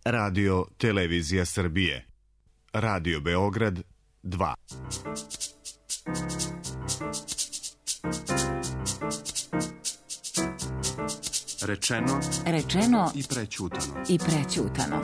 Radio Televizija Srbije. Radio Beograd 2. Rečeno i prećutano.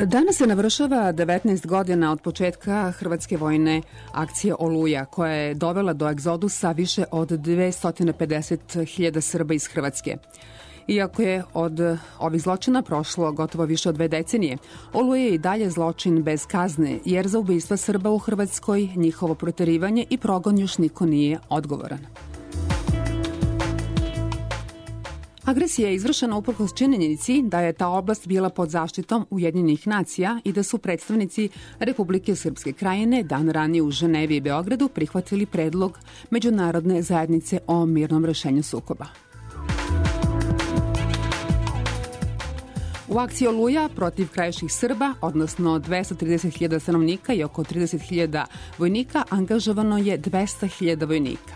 Danas se navršava 19 godina od početka hrvatske vojne akcije Oluja, koja je dovela do egzodusa više od 250.000 Srba iz Hrvatske. Iako je od ovih zločina prošlo gotovo više od 2 decenije, Oluja je i dalje zločin bez kazne, jer za ubistva Srba u Hrvatskoj, njihovo proterivanje i progon još niko nije odgovoran. Agresija je izvršena uprkos činjenici da je ta oblast bila pod zaštitom Ujedinjenih nacija i da su predstavnici Republike Srpske Krajine dan ranije u Ženevi i Beogradu prihvatili predlog međunarodne zajednice o mirnom rešenju sukoba. U akciji Oluja protiv krajiških Srba, odnosno 230.000 stanovnika i oko 30.000 vojnika, angažovano je 200.000 vojnika.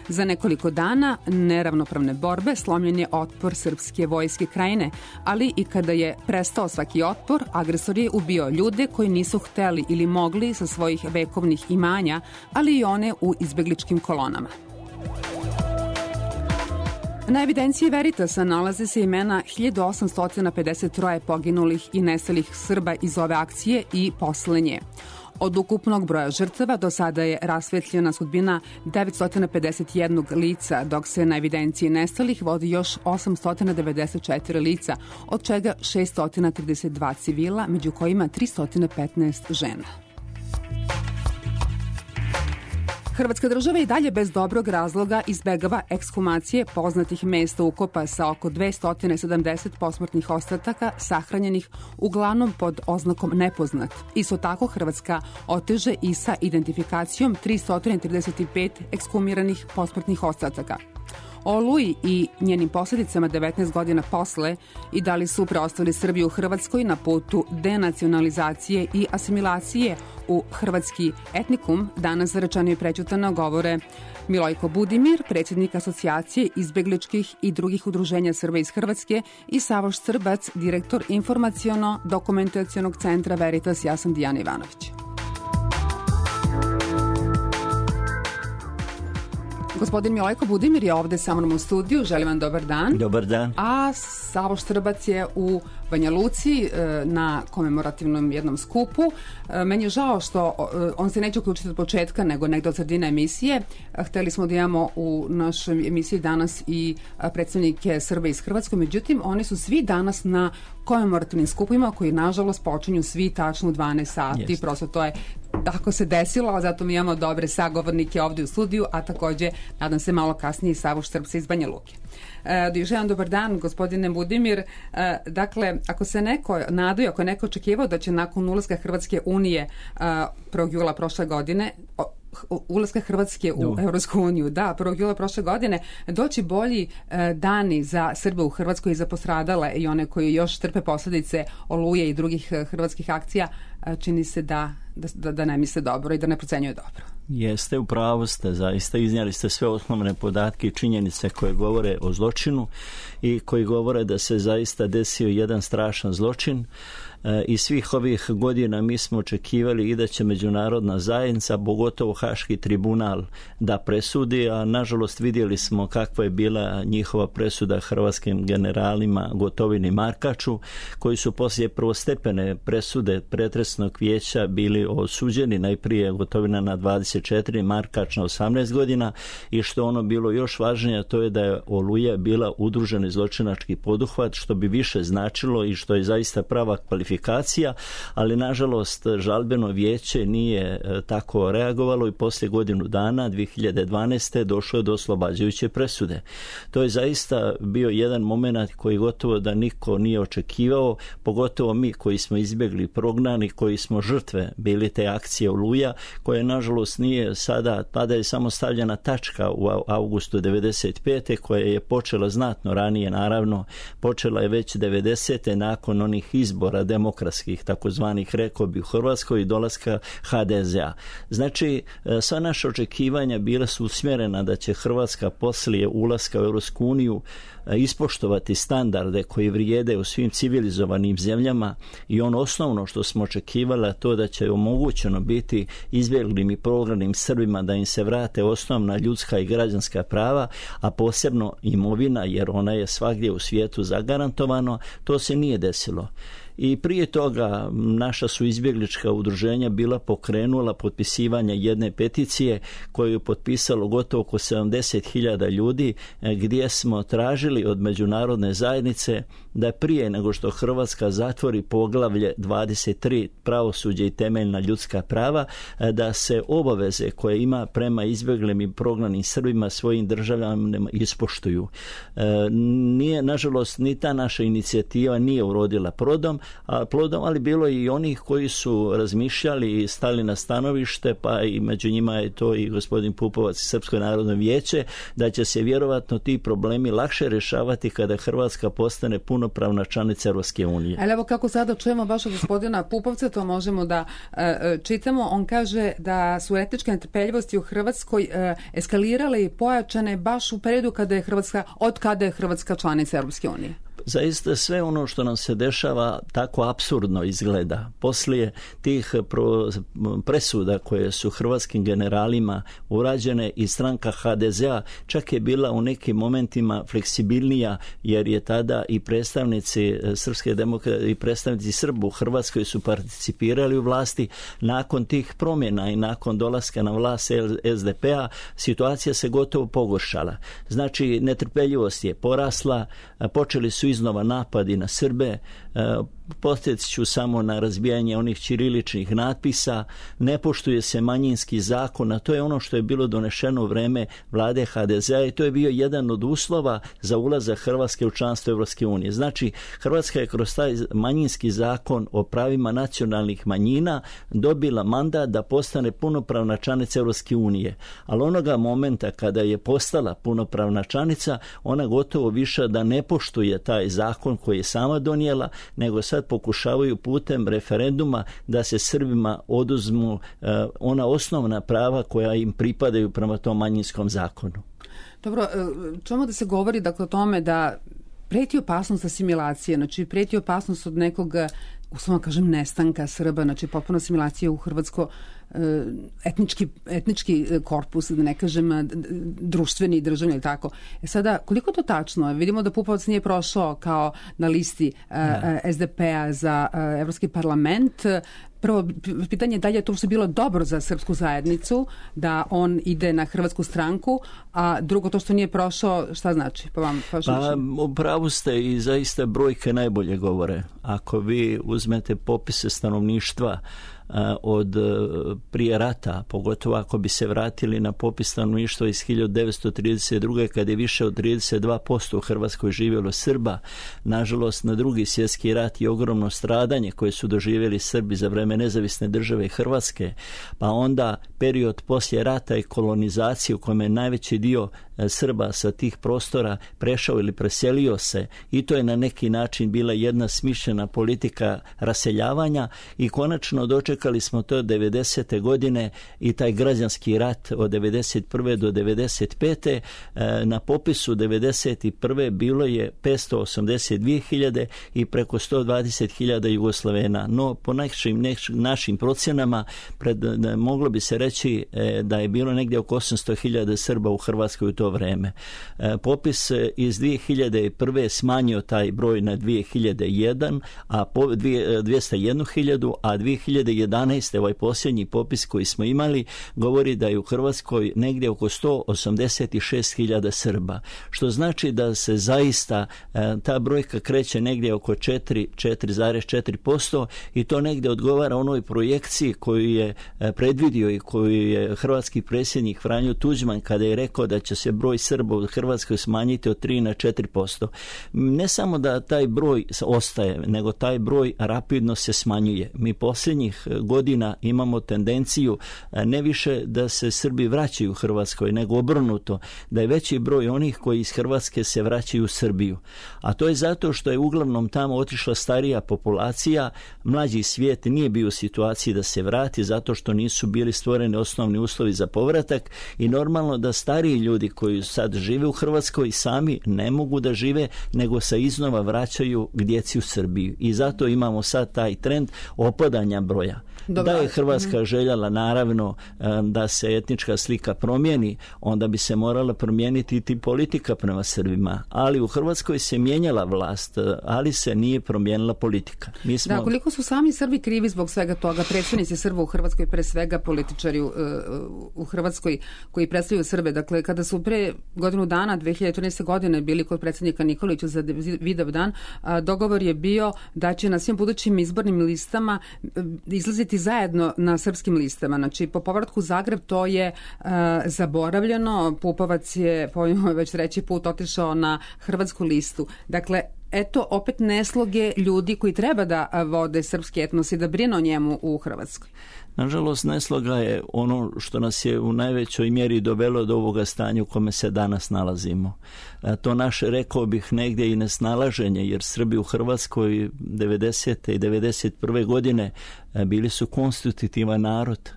Za nekoliko dana neravnopravne borbe slomljen je otpor srpske vojske Krajine, ali i kada je prestao svaki otpor, agresor je ubio ljude koji nisu hteli ili mogli sa svojih vekovnih imanja, ali i one u izbegličkim kolonama. Na evidenciji Veritasa nalaze se imena 1853 poginulih i nestalih Srba iz ove akcije i posle nje. Od ukupnog broja žrtava do sada je rasvetljena sudbina 951 lica, dok se na evidenciji nestalih vodi još 894 lica, od čega 632 civila, među kojima 315 žena. Hrvatska država i dalje bez dobrog razloga izbegava ekshumacije poznatih mesta ukopa sa oko 270 posmrtnih ostataka sahranjenih uglavnom pod oznakom nepoznat. Isto tako Hrvatska oteže i sa identifikacijom 335 ekshumiranih posmrtnih ostataka. O Oluji i njenim posljedicama 19 godina posle i da li su preostali Srbi u Hrvatskoj na putu denacionalizacije i asimilacije u hrvatski etnikum, danas za Rečeno i prećutano govore Milojko Budimir, predsjednik Asocijacije izbegličkih i drugih udruženja Srba iz Hrvatske, i Savoš Srbac, direktor informaciono-dokumentacionog centra Veritas. Ja sam Dijana Ivanović. Gospodin Milojko Budimir je ovde sa mnom u studiju. Želim vam dobar dan. Dobar dan. A Savoš Srbac je u Banja Luci na komemorativnom jednom skupu. Meni je žao što on se neće uključiti od početka, nego negde od sredine emisije. Hteli smo da imamo u našoj emisiji danas i predstavnike Srba iz Hrvatske, međutim oni su svi danas na komemorativnim skupovima koji nažalost počinju svi tačno u 12 sati. Jest. Prosto to je tako se desilo, zato mi imamo dobre sagovornike ovde u studiju, a takođe, nadam se, malo kasnije i Savoš Srbca iz Banja Luke. Želim dobar dan, gospodine Budimir. Dakle, ako se neko nadaju, ako je neko očekivao da će nakon ulaska Hrvatske unije 1. jula prošle godine, ulaska Hrvatske u Evropsku uniju, 1. jula prošle godine, doći bolji dani za Srbe u Hrvatskoj i za postradale i one koji još trpe posledice Oluje i drugih hrvatskih akcija, čini se da da ne misle dobro i da ne procenjuje dobro. Jeste, u pravu ste, zaista iznijeli ste sve osnovne podatke i činjenice koje govore o zločinu i koji govore da se zaista desio jedan strašan zločin. I svih ovih godina mi smo očekivali i da će međunarodna zajednica, pogotovo Haški tribunal, da presudi, a nažalost vidjeli smo kakva je bila njihova presuda hrvatskim generalima Gotovini i Markaču, koji su poslije prvostepene presude pretresnog vijeća bili osuđeni, najprije Gotovina na 24, Markač na 18 godina, i što ono bilo još važnije, to je da je Oluja bila udruženi zločinački poduhvat, što bi više značilo i što je zaista prava kvalifikacija, ali nažalost žalbeno vijeće nije tako reagovalo i poslije godinu dana 2012. došlo je do oslobađajuće presude. To je zaista bio jedan moment koji gotovo da niko nije očekivao, pogotovo mi koji smo izbjegli, prognani, koji smo žrtve bili te akcije Oluja, koje nažalost nije sada, tada je samo stavljena tačka u augustu 95. koja je počela znatno ranije, naravno počela je već 90. nakon onih izbora demokratskih, takozvanih, rekao bi, u Hrvatskoj i dolaska HDZ-a. Znači, sva naša očekivanja bila su usmjerena da će Hrvatska poslije ulaska u Europsku uniju ispoštovati standarde koji vrijede u svim civilizovanim zemljama, i ono osnovno što smo očekivali, to da će omogućeno biti izbjeglim i prognanim Srbima da im se vrate osnovna ljudska i građanska prava, a posebno imovina, jer ona je svagdje u svijetu zagarantovano. To se nije desilo. I prije toga naša su izbjeglička udruženja bila pokrenula potpisivanje jedne peticije koju je potpisalo gotovo oko 70.000 ljudi, gdje smo tražili od međunarodne zajednice da prije nego što Hrvatska zatvori poglavlje 23 pravosuđe i temeljna ljudska prava, da se obaveze koje ima prema izbjeglim i prognanim Srbima svojim državljanima ispoštuju. Nije, nažalost, ni ta naša inicijativa nije urodila plodom, ali bilo i onih koji su razmišljali i stali na stanovište, pa i među njima je to i gospodin Pupovac i Srpsko narodno vijeće, da će se vjerovatno ti problemi lakše rješavati kada Hrvatska postane punopravna članica Europske unije. Ali evo kako sada čujemo baš od gospodina Pupovca, to možemo da čitamo. On kaže da su etničke netrpeljivosti u Hrvatskoj eskalirale i pojačane baš u periodu od kada je Hrvatska članica Europske unije. Zaista sve ono što nam se dešava tako apsurdno izgleda. Poslije tih presuda koje su hrvatskim generalima urađene, i stranka HDZ-a čak je bila u nekim momentima fleksibilnija, jer je tada i predstavnici srpske demokracije i predstavnici Srba u Hrvatskoj su participirali u vlasti. Nakon tih promjena i nakon dolaska na vlast SDP-a situacija se gotovo pogoršala. Znači, netrpeljivost je porasla, počeli su iznova napadi na Srbe, podsjetit ću samo na razbijanje onih ćiriličnih natpisa, ne poštuje se manjinski zakon, a to je ono što je bilo donešeno u vreme vlade HDZ-a i to je bio jedan od uslova za ulazak Hrvatske u članstvo Europske unije. Znači, Hrvatska je kroz taj manjinski zakon o pravima nacionalnih manjina dobila mandat da postane punopravna članica Europske unije. Ali onoga momenta kada je postala punopravna članica, ona gotovo više da ne poštuje taj zakon koji je sama donijela, nego sad pokušavaju putem referenduma da se Srbima oduzmu ona osnovna prava koja im pripadaju prema tom manjinskom zakonu. Dobro, čujemo da se govori dakle o tome da preti opasnost asimilacije, znači preti opasnost od nekog, uslovno kažem, nestanka Srba, znači potpuno asimilacija u hrvatsko etnički korpus, da ne kažem društveni i državni ili tako. Sada, koliko to tačno? Vidimo da Pupovac nije prošao kao na listi SDP-a za Evropski parlament. Prvo pitanje je da li je to što je bilo dobro za srpsku zajednicu, da on ide na hrvatsku stranku, a drugo to što nije prošao, šta znači? U pravu ste i zaista brojke najbolje govore. Ako vi uzmete popise stanovništva od prije rata, pogotovo ako bi se vratili na popis stanovništva iz 1932. kad je više od 32% u Hrvatskoj živjelo Srba, nažalost na Drugi svjetski rat i ogromno stradanje koje su doživjeli Srbi za vreme nezavisne države Hrvatske, pa onda period poslije rata i kolonizacije u kojem je najveći dio Srba sa tih prostora prešao ili preselio se, i to je na neki način bila jedna smišljena politika raseljavanja, i konačno dočekali smo to 90. godine i taj građanski rat od 91. do 95. Na popisu 91. bilo je 582.000 i preko 120.000 Jugoslovena. No, po našim procjenama moglo bi se reći da je bilo negdje oko 800.000 Srba u Hrvatskoj u to vreme. Popis iz 2001. smanjio taj broj na 201.000, a 201.000, a 2011. ovaj posljednji popis koji smo imali govori da je u Hrvatskoj negdje oko 186.000 Srba, što znači da se zaista ta brojka kreće negdje oko 4,4% i to negdje odgovara onoj projekciji koju je predvidio i koju je hrvatski predsjednik Franjo Tuđman kada je rekao da će se broj Srba u Hrvatskoj smanjiti od 3 na 4%. Ne samo da taj broj ostaje, nego taj broj rapidno se smanjuje. Mi posljednjih godina imamo tendenciju ne više da se Srbi vraćaju u Hrvatskoj, nego obrnuto, da je veći broj onih koji iz Hrvatske se vraćaju u Srbiju. A to je zato što je uglavnom tamo otišla starija populacija, mlađi svijet nije bio u situaciji da se vrati zato što nisu bili stvoreni osnovni uslovi za povratak, i normalno da stariji ljudi koji sad žive u Hrvatskoj sami ne mogu da žive, nego se iznova vraćaju k djeci u Srbiju. I zato imamo sad taj trend opadanja broja. Dobar. Da je Hrvatska željela naravno da se etnička slika promijeni, onda bi se morala promijeniti i politika prema Srbima. Ali u Hrvatskoj se mijenjala vlast, ali se nije promijenila politika. Da, koliko su sami Srbi krivi zbog svega toga, predstavnici Srba u Hrvatskoj, pre svega političari u Hrvatskoj koji predstavljaju Srbe. Dakle, kada su pre godinu dana, 2014. godine, bili kod predsjednika Nikolića za Vidovdan, dogovor je bio da će na svim budućim izbornim listama izlaziti zajedno na srpskim listama. Znači, po povratku u Zagreb to je zaboravljeno. Pupovac je, pojmo već treći put, otišao na hrvatsku listu. Dakle, eto opet nesloge ljudi koji treba da vode srpski etnos i da brinu o njemu u Hrvatskoj. Nažalost, nesloga je ono što nas je u najvećoj mjeri dovelo do ovoga stanja u kome se danas nalazimo. To naše, rekao bih, negdje i nesnalaženje, jer Srbi u Hrvatskoj 90. i 91. godine bili su konstitutivan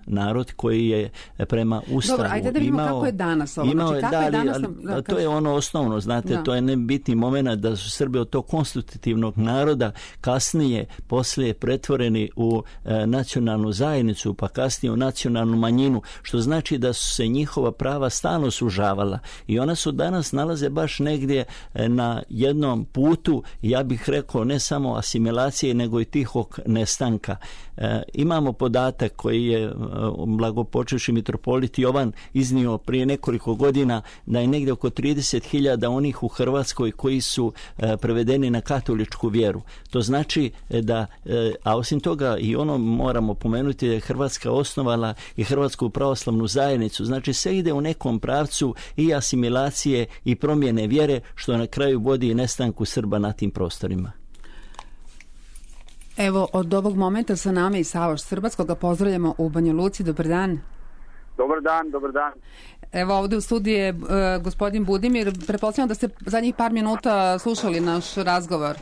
narod koji je prema Ustavu Dobro, ajde da vidimo kako je danas ovo. Znači, kako je danas, to je ono osnovno, znate, to je nebitni moment da su Srbi od tog konstitutivnog naroda kasnije, poslije pretvoreni u nacionalnu zajednicu, pa kasnije u nacionalnu manjinu, što znači da su se njihova prava stalno sužavala i ona su danas nalaze baš negdje na jednom putu, ja bih rekao, ne samo asimilacije, nego i tihog nestanka. Imamo podatak koji je blagopočevši mitropolit Jovan iznio prije nekoliko godina, da je negdje oko 30.000 onih u Hrvatskoj koji su prevedeni na katoličku vjeru. To znači da, a osim toga i ono moramo pomenuti, da je Hrvatska osnovala i Hrvatsku pravoslavnu zajednicu. Znači sve ide u nekom pravcu i asimilacije i promjene vjere, što na kraju vodi i nestanku Srba na tim prostorima. Evo, od ovog momenta sa nama i Savoš Srbac, koga pozdravljamo u Banja Luci. Dobar dan. Dobar dan. Evo, ovdje u studiju je gospodin Budimir. Pretpostavljam da ste zadnjih par minuta slušali naš razgovor.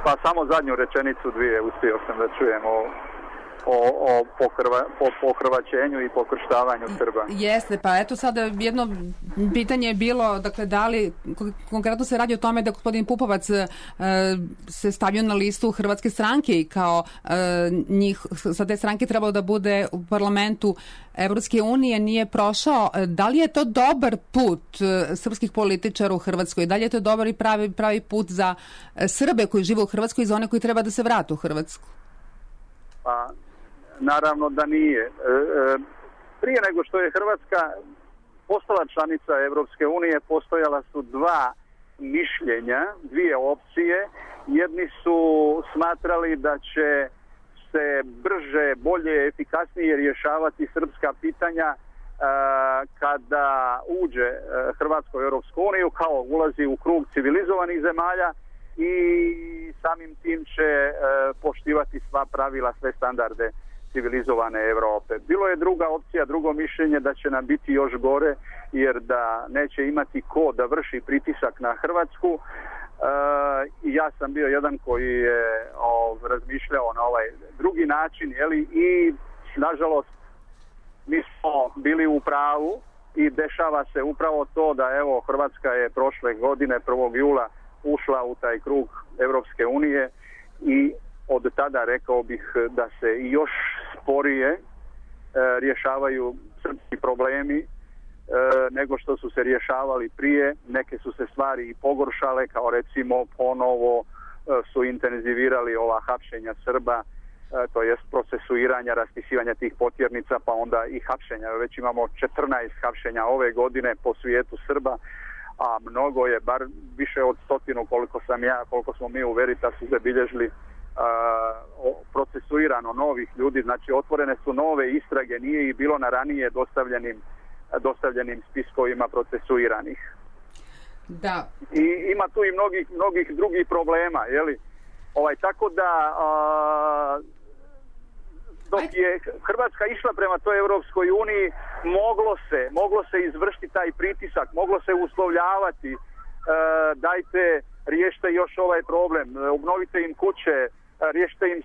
Pa samo zadnju rečenicu dvije uspio sam da čujem o pohrvaćenju i pokrštavanju Srba. Jeste, pa eto sada jedno pitanje je bilo, dakle, da li, konkretno se radi o tome da gospodin Pupovac se stavio na listu Hrvatske stranke i kao njih, sa te stranke trebalo da bude u parlamentu Evropske unije, nije prošao. Da li je to dobar put srpskih političara u Hrvatskoj? Da li je to dobar i pravi put za Srbe koji žive u Hrvatskoj i za one koji treba da se vrate u Hrvatsku? Pa, naravno da nije. Prije nego što je Hrvatska postala članica Evropske unije, postojala su dva mišljenja, dvije opcije. Jedni su smatrali da će se brže, bolje, efikasnije rješavati srpska pitanja kada uđe Hrvatska u Evropsku uniju, kao ulazi u krug civilizovanih zemalja i samim tim će poštivati sva pravila, sve standarde civilizovane Europe. Bilo je druga opcija, drugo mišljenje da će nam biti još gore, jer da neće imati ko da vrši pritisak na Hrvatsku. I ja sam bio jedan koji je razmišljao na ovaj drugi način, i nažalost mi smo bili u pravu i dešava se upravo to da evo Hrvatska je prošle godine 1. jula ušla u taj krug Europske unije i od tada rekao bih da se još sporije rješavaju srpski problemi nego što su se rješavali prije. Neke su se stvari i pogoršale, kao recimo ponovo su intenzivirali ova hapšenja Srba, to jest procesuiranja, raspisivanja tih potjernica, pa onda i hapšenja. Već imamo 14 hapšenja ove godine po svijetu Srba, a mnogo je, bar više od 100 koliko smo mi u Veritasu zabilježili procesuirano novih ljudi, znači otvorene su nove istrage, nije i bilo na ranije dostavljenim spiskovima procesuiranih. Da. I ima tu i mnogih drugih problema, tako da dok je Hrvatska išla prema toj Europskoj uniji, moglo se izvršiti taj pritisak, moglo se uslovljavati, dajte, riješite još ovaj problem, obnovite im kuće, riješite im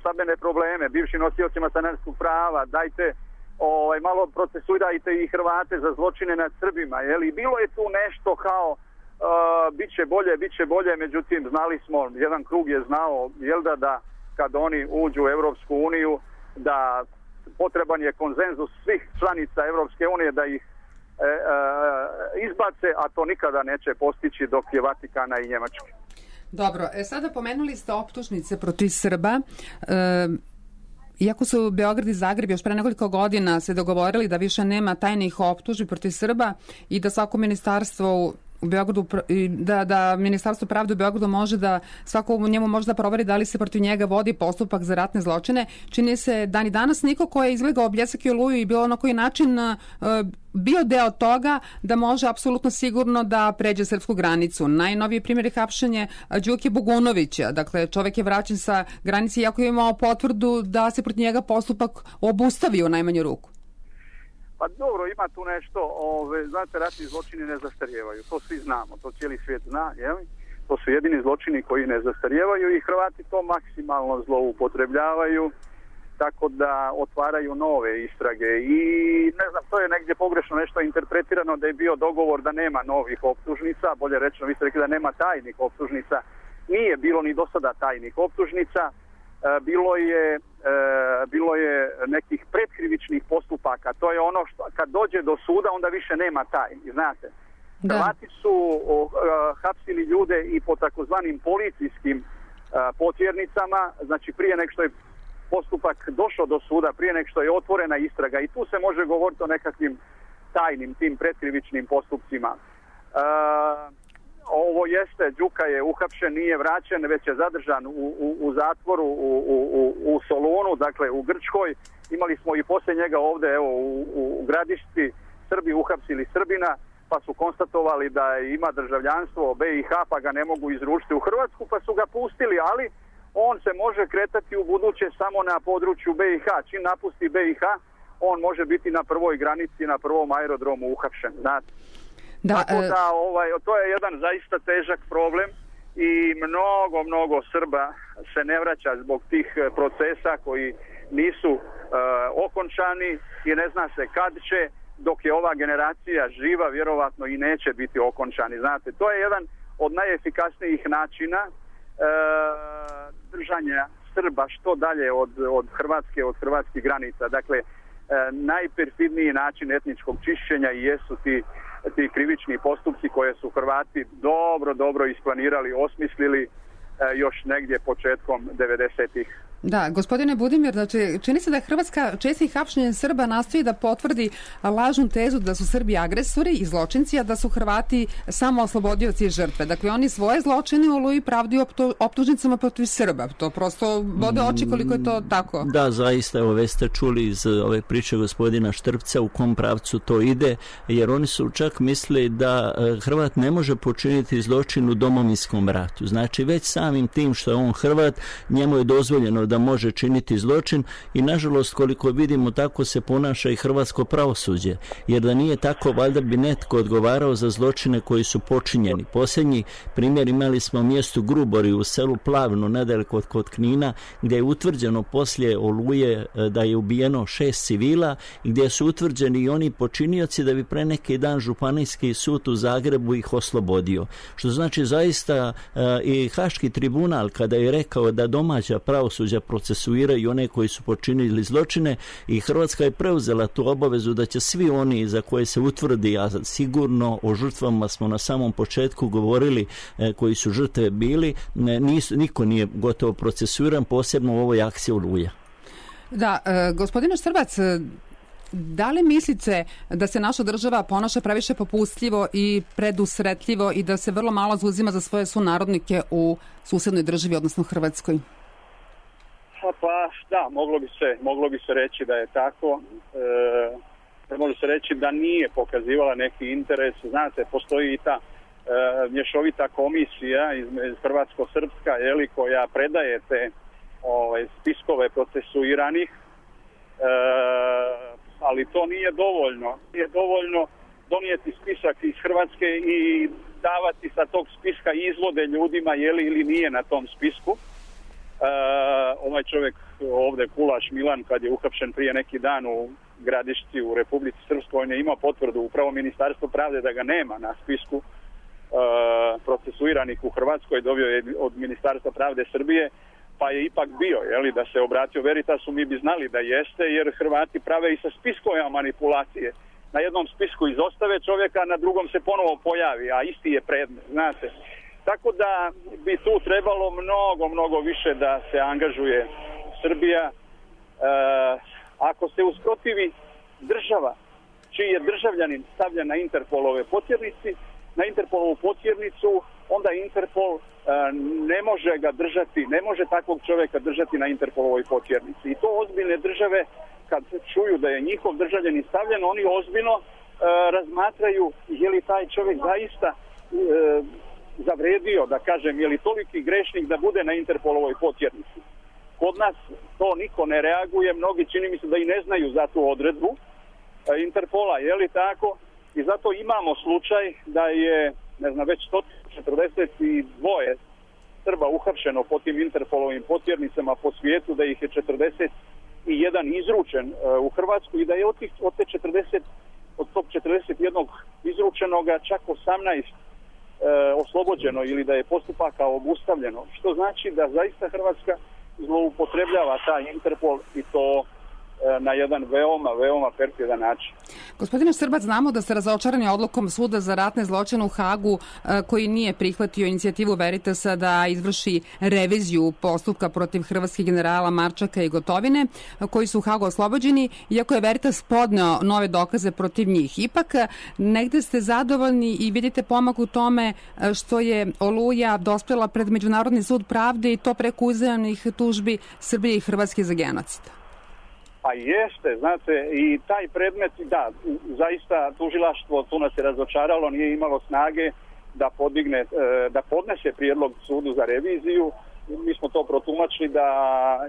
stambene probleme, bivšim nosiocima stanarskog prava, dajte malo procesuirajte i Hrvate za zločine nad Srbima, bilo je tu nešto kao bit će bolje, međutim znali smo, jedan krug je znao, da kad oni uđu u Europsku uniju, da potreban je konsenzus svih članica Europske unije da ih izbace, a to nikada neće postići dok je Vatikana i Njemačke. Dobro, sada pomenuli ste optužnice protiv Srba. Iako su Beograd i Zagreb još pre nekoliko godina se dogovorili da više nema tajnih optužbi protiv Srba i da svako ministarstvo u Beogradu, da Ministarstvo pravde u Beogradu može da svako u njemu može da proveri da li se protiv njega vodi postupak za ratne zločine. Čini se da ni danas niko ko je izlegao Bljesak i Oluju i bilo na koji način bio deo toga da može apsolutno sigurno da pređe srpsku granicu. Najnoviji primjer je hapšenje Đuke Bogunovića. Dakle, čovjek je vraćen sa granice iako je imao potvrdu da se protiv njega postupak obustavio u najmanju ruku. Pa dobro, ima tu nešto, znate, ratni zločini ne zastarijevaju, to svi znamo, to cijeli svijet zna, to su jedini zločini koji ne zastarijevaju i Hrvati to maksimalno zloupotrebljavaju, tako da otvaraju nove istrage i ne znam, to je negdje pogrešno nešto interpretirano da je bio dogovor da nema novih optužnica, bolje rečeno, vi ste rekli da nema tajnih optužnica, nije bilo ni do sada tajnih optužnica, bilo je nekih predkrivičnih postupaka. To je ono što kad dođe do suda onda više nema tajni, znate. Hrvati su hapsili ljude i po takozvanim policijskim potjernicama, znači prije nego što je postupak došao do suda, prije nego što je otvorena istraga i tu se može govoriti o nekakvim tajnim tim predkrivičnim postupcima. Ovo jeste, Đuka je uhapšen, nije vraćen, već je zadržan u zatvoru u Solunu, dakle u Grčkoj. Imali smo i poslije njega ovdje u Gradišci, Srbi uhapsili Srbina, pa su konstatovali da ima državljanstvo BiH, pa ga ne mogu izručiti u Hrvatsku, pa su ga pustili, ali on se može kretati u buduće samo na području BiH. Čim napusti BiH, on može biti na prvoj granici, na prvom aerodromu uhapšen, znate. Tako da to je jedan zaista težak problem i mnogo Srba se ne vraća zbog tih procesa koji nisu okončani i ne zna se kad će, dok je ova generacija živa, vjerovatno i neće biti okončani. Znate, to je jedan od najefikasnijih načina držanja Srba što dalje od Hrvatske, od hrvatskih granica. Dakle, najperfidniji način etničkog čišćenja i jesu ti krivični postupci koje su Hrvati dobro isplanirali, osmislili još negdje početkom 90-ih. Da, gospodine Budimir, znači čini se da je Hrvatska čestim hapšenjem Srba nastoji da potvrdi lažnu tezu da su Srbi agresori i zločinci, a da su Hrvati samo oslobodioci i žrtve. Dakle, oni svoje zločine u Oluji pravdaju optužnicama protiv Srba. To prosto bode oči koliko je to tako. Da, zaista, evo već ste čuli iz ove priče gospodina Štrpca u kom pravcu to ide, jer oni su čak mislili da Hrvat ne može počiniti zločin u domovinskom ratu. Znači, već samim tim što je on Hrvat, njemu je dozvoljeno da može činiti zločin i nažalost koliko vidimo tako se ponaša i hrvatsko pravosuđe, jer da nije tako valjda bi netko odgovarao za zločine koji su počinjeni. Posljednji primjer imali smo u mjestu Grubori u selu Plavno nedaleko kod Knina, gdje je utvrđeno poslije Oluje da je ubijeno 6 civila i gdje su utvrđeni i oni počinioci da bi pre neki dan Županijski sud u Zagrebu ih oslobodio. Što znači zaista i Haški tribunal kada je rekao da domaća pravosuđa procesuiraju one koji su počinili zločine i Hrvatska je preuzela tu obavezu da će svi oni za koje se utvrdi, a sigurno o žrtvama smo na samom početku govorili koji su žrtve bili, niko nije gotovo procesuiran, posebno u ovoj akciji Oluja. Da, gospodine Štrbac, da li mislite da se naša država ponaša previše popustljivo i predusretljivo i da se vrlo malo zauzima za svoje sunarodnike u susednoj državi, odnosno Hrvatskoj? Pa da, moglo bi se reći da je tako. Može se reći da nije pokazivala neki interes. Znate, postoji i ta mješovita komisija iz Hrvatsko-Srpska, koja predaje te spiskove procesuiranih, ali to nije dovoljno. Nije dovoljno donijeti spisak iz Hrvatske i davati sa tog spiska izvode ljudima je li ili nije na tom spisku. Ovaj čovjek ovdje, Kulaš Milan, kad je uhapšen prije neki dan u Gradišci u Republici Srpskoj, on je imao potvrdu upravo Ministarstvo pravde da ga nema na spisku procesuiranih u Hrvatskoj, dobio je od Ministarstva pravde Srbije, pa je ipak bio, da se obratio Veritasu, mi bi znali da jeste, jer Hrvati prave i sa spiskovima manipulacije. Na jednom spisku izostave čovjeka, na drugom se ponovo pojavi, a isti je predmet, znate. Tako da bi tu trebalo mnogo više da se angažuje Srbija. Ako se usprotivi država, čiji je državljanin stavljen na Interpolove potjernici, na Interpolovu potjernicu, onda Interpol ne može ga držati, ne može takvog čovjeka držati na Interpolovoj potjernici. I to ozbiljne države, kad čuju da je njihov državljanin stavljen, oni ozbiljno razmatraju je li taj čovjek zaista zavredio, da kažem, je li toliki grešnik da bude na Interpolovoj potjernici. Kod nas to niko ne reaguje, mnogi čini mi se da i ne znaju za tu odredbu Interpola, je li tako? I zato imamo slučaj da je, već 142 Srba uhapšeno po tim Interpolovim potjernicama po svijetu, da ih je 41 izručen u Hrvatsku i da je od tog 41 izručenoga čak 18 oslobođeno ili da je postupaka obustavljeno. Što znači da zaista Hrvatska zloupotrebljava taj Interpol i to na jedan veoma perfidan način. Gospodine Štrbac, znamo da ste razočarani odlukom Suda za ratne zločine u Hagu koji nije prihvatio inicijativu Veritasa da izvrši reviziju postupka protiv hrvatskih generala Marčaka i Gotovine koji su u Hagu oslobođeni, iako je Veritas podneo nove dokaze protiv njih. Ipak negde ste zadovoljni i vidite pomak u tome što je Oluja dospela pred Međunarodni sud pravde i to preko uzajamnih tužbi Srbije i Hrvatske za genocid. Pa jeste, znate, i taj predmet, da, zaista tužilaštvo tu nas je razočaralo, nije imalo snage da podnese prijedlog sudu za reviziju. Mi smo to protumačili da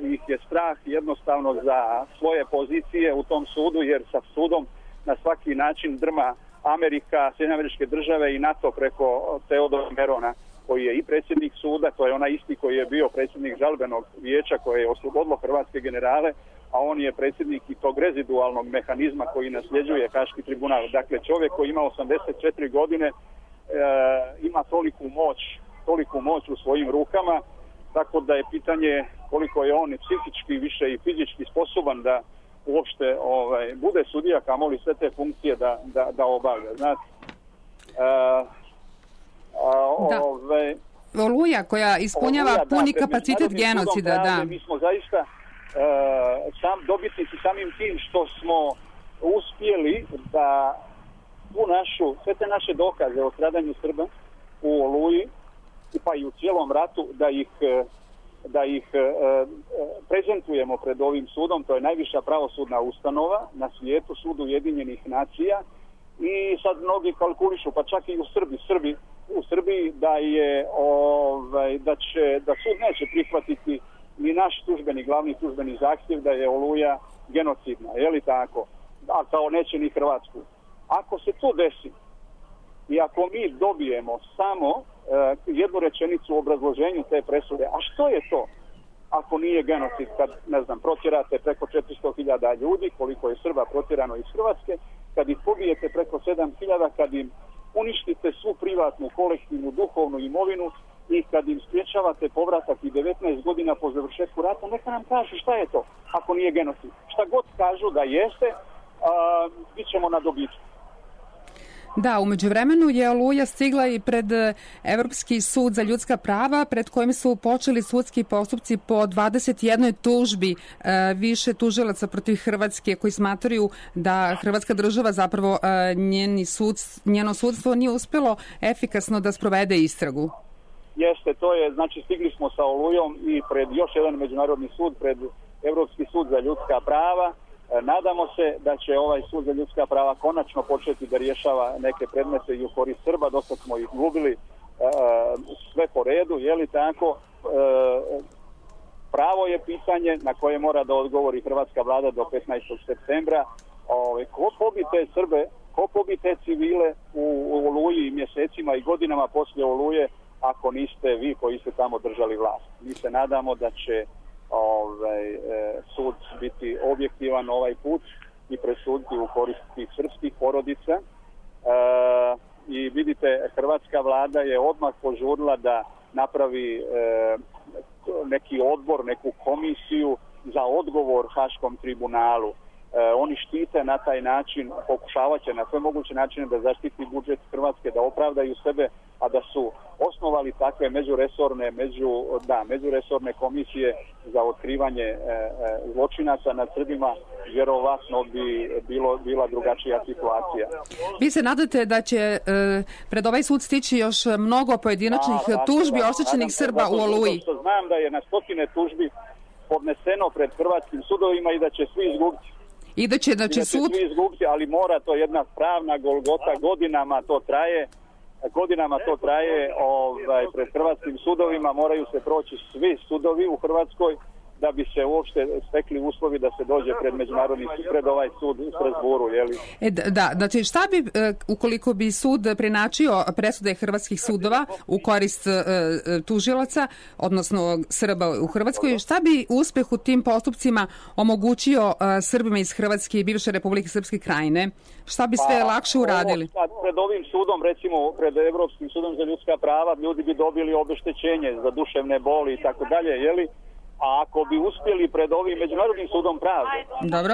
ih je strah jednostavno za svoje pozicije u tom sudu, jer sa sudom na svaki način drma Amerika, Sjedinjene Američke Države i NATO preko Teodora Merona, koji je i predsjednik suda, to je onaj isti koji je bio predsjednik žalbenog vijeća koje je oslobodilo hrvatske generale, a on je predsjednik i tog rezidualnog mehanizma koji nasljeđuje Haški tribunal. Dakle, čovjek koji ima 84 godine ima toliku moć u svojim rukama, tako da je pitanje koliko je on psihički više i fizički sposoban da uopšte bude sudija, kamoli sve te funkcije da obavlja. Znate, Oluja koja ispunjava puni kapacitet genocida. Da. Mi smo zaista dobitnici samim tim što smo uspjeli da sve te naše dokaze o stradanju Srba u Oluji pa i u cijelom ratu da ih prezentujemo pred ovim sudom. To je najviša pravosudna ustanova na svijetu, Sud Ujedinjenih nacija, i sad mnogi kalkulišu, pa čak i u Srbiji da sud neće prihvatiti ni naš tužbeni glavni službeni zahtjev da je Oluja genocidna, je li tako? A kao neće ni Hrvatsku. Ako se to desi i ako mi dobijemo samo jednu rečenicu u obrazloženju te presude, a što je to ako nije genocid, kad, ne znam, protjerate preko 400.000 ljudi, koliko je Srba protjerano iz Hrvatske, kad ih pobijete preko 7.000, kad im uništite svu privatnu, kolektivnu, duhovnu imovinu i kad im spriječavate povratak i 19 godina po završetku rata, neka nam kažu šta je to ako nije genocid. Šta god kažu da jeste, bit ćemo na dobitku. Da, u međuvremenu je Oluja stigla i pred Evropski sud za ljudska prava, pred kojim su počeli sudski postupci po 21 tužbi više tužilaca protiv Hrvatske koji smatraju da Hrvatska država zapravo njeno sudstvo nije uspjelo efikasno da sprovede istragu. Jeste, to je, znači stigli smo sa Olujom i pred još jedan međunarodni sud, pred Evropski sud za ljudska prava. Nadamo se da će ovaj sud za ljudska prava konačno početi da rješava neke predmete i u korist Srba. Dosta smo ih gubili, sve po redu, je li tako? Pravo je pitanje na koje mora da odgovori hrvatska vlada do 15. septembra. Ko pobi te Srbe, ko pobi te civile u Oluji mjesecima i godinama poslije Oluje, ako niste vi koji ste tamo držali vlast. Mi se nadamo da će sud biti objektivan ovaj put i presuditi u korist tih srpskih porodica. I vidite, hrvatska vlada je odmah požurila da napravi neki odbor, neku komisiju za odgovor Haškom tribunalu. Oni štite na taj način, pokušavat će na sve moguće načine da zaštiti budžet Hrvatske, da opravdaju sebe, a da su osnovali takve međuresorne komisije za otkrivanje zločinaca nad Srbima, vjerovatno bi bila drugačija situacija. Vi se nadate da će pred ovaj sud stići još mnogo pojedinačnih tužbi oštećenih Srba u Oluji? Znam da je na stotine tužbi podneseno pred hrvatskim sudovima i da će svi izgubiti. I da će sud... svi izgubiti, ali mora to jedna pravna golgota, godinama to traje pred hrvatskim sudovima, moraju se proći svi sudovi u Hrvatskoj da bi se uopšte stekli uslovi da se dođe pred međunarodni sud, pred ovaj sud u Strasburu, jeli? Da, znači šta bi, ukoliko bi sud prenačio presude hrvatskih sudova u korist tužilaca, odnosno Srba u Hrvatskoj, šta bi uspeh u tim postupcima omogućio Srbima iz Hrvatske i bivše Republike Srpske Krajine? Šta bi sve lakše uradili? Pred ovim sudom, recimo pred Evropskim sudom za ljudska prava, ljudi bi dobili obeštećenje za duševne boli i tako dalje, jeli? A ako bi uspjeli pred ovim Međunarodnim sudom pravde, dobro,